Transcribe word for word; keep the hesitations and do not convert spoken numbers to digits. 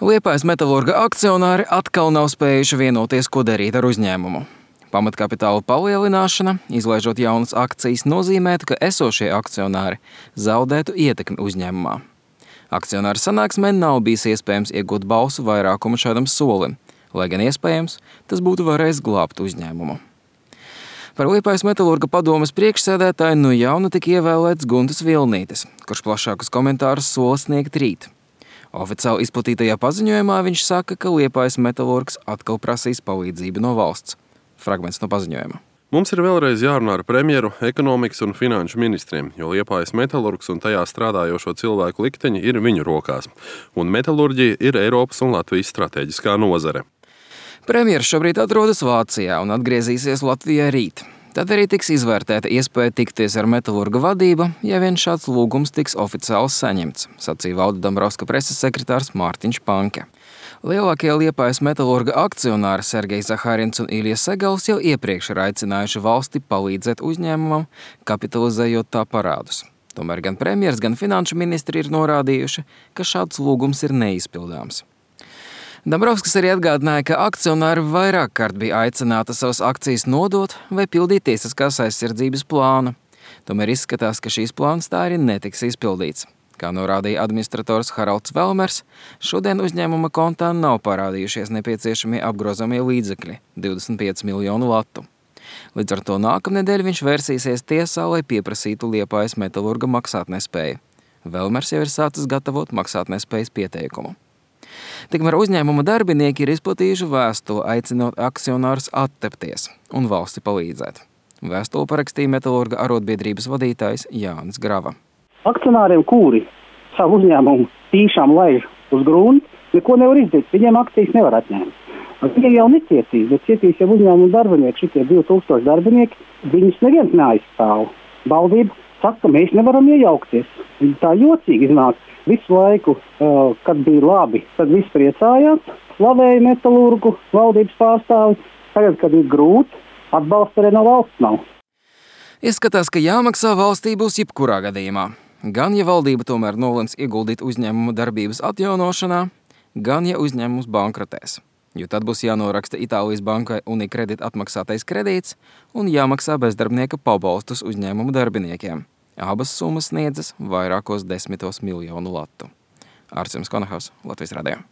Liepājas Metalurga akcionāri atkal nav spējuši vienoties, ko darīt ar uzņēmumu. Pamatkapitāla palielināšana, izlaižot jaunas akcijas, nozīmētu, ka esošie akcionāri zaudētu ietekmi uzņēmumā. Akcionāru sanāksmē nav bijis iespējams iegūt balsu vairākumu šādam solim, lai gan iespējams, tas būtu varējis glābt uzņēmumu. Par Liepājas Metalurga padomes priekšsēdētāju nu jaunu tika ievēlēts Guntis Vilnītis, kurš plašākus komentārus sola sniegt rīt. Oficiāli izplatītajā paziņojumā viņš saka, ka Liepājas Metalurgs atkal prasīs palīdzību no valsts. Fragments no paziņojuma. Mums ir vēlreiz jārunā ar premjeru, ekonomikas un finanšu ministriem, jo Liepājas Metalurgs un tajā strādājošo cilvēku likteņi ir viņu rokās. Un metalurģija ir Eiropas un Latvijas strateģiskā nozare. Premjeras šobrīd atrodas Vācijā un atgriezīsies Latvijā rīt. Tad arī tiks izvērtēta iespēja tikties ar Metalurga vadību, ja vien šāds lūgums tiks oficiāli saņemts, sacīja Valda Dombrovska preses sekretārs Mārtiņš Panke. Lielākie Liepājas Metalurga akcionāri Sergejs Zahārins un Ilja Segals jau iepriekš ir aicinājuši valsti palīdzēt uzņēmumam, kapitalizējot tā parādus. Tomēr gan premjers, gan finanšu ministri ir norādījuši, ka šāds lūgums ir neizpildāms. Dombrovskis arī atgādināja, ka akcionāri vairāk kārt bija aicināti savas akcijas nodot vai pildīt tiesiskās aizsardzības plānu. Tomēr izskatās, ka šīs plāns tā arī netiks izpildīts. Kā norādīja administrators Haralds Velmers, šodien uzņēmuma kontā nav parādījušies nepieciešamie apgrozamie līdzekļi – divdesmit pieci miljonu latu. Līdz ar to nākamnedēļ viņš vērsīsies tiesā, lai pieprasītu Liepājas Metalurga maksātnespēju. Velmers jau ir sācis gatavot maksātnespējas pieteikumu. Tikmēr uzņēmuma darbinieki ir izplatījuši vēstuli, aicinot akcionārus attepties un valsti palīdzēt. Vēstuli parakstīja Metalurga arotbiedrības vadītājs Jānis Grava. Akcionāriem, kuri savu uzņēmumu tīšām laiž uz gruntu, neko nevar izdarīt, viņiem akcijas nevar atņemt. Viņi jau necietīs, bet cietīs jau uzņēmumu darbinieki, šitie divi tūkstoši darbinieki, viņus neviens neaizstāv. Valdība saka, ka mēs nevaram iejaukties. Viņi tā jocīgi iznāk. Visu laiku, kad bija labi, tad viss priecājās, slavēja Metalurgu, valdības pārstāvi. Tagad, kad ir grūti, atbalsta arī no valsts nav. Izskatās, ka jāmaksā valstī būs jebkurā gadījumā. Gan, ja valdība tomēr nolems ieguldīt uzņēmumu darbības atjaunošanā, gan, ja uzņēmums bankrotēs. Jo tad būs jānoraksta Itālijas bankai Unicredit atmaksātais kredīts un jāmaksā bezdarbnieka pabalstus uzņēmumu darbiniekiem. Abas summas sniedzas vairākos desmitos miljonu latu. Ārcis Konahos, Latvijas radio.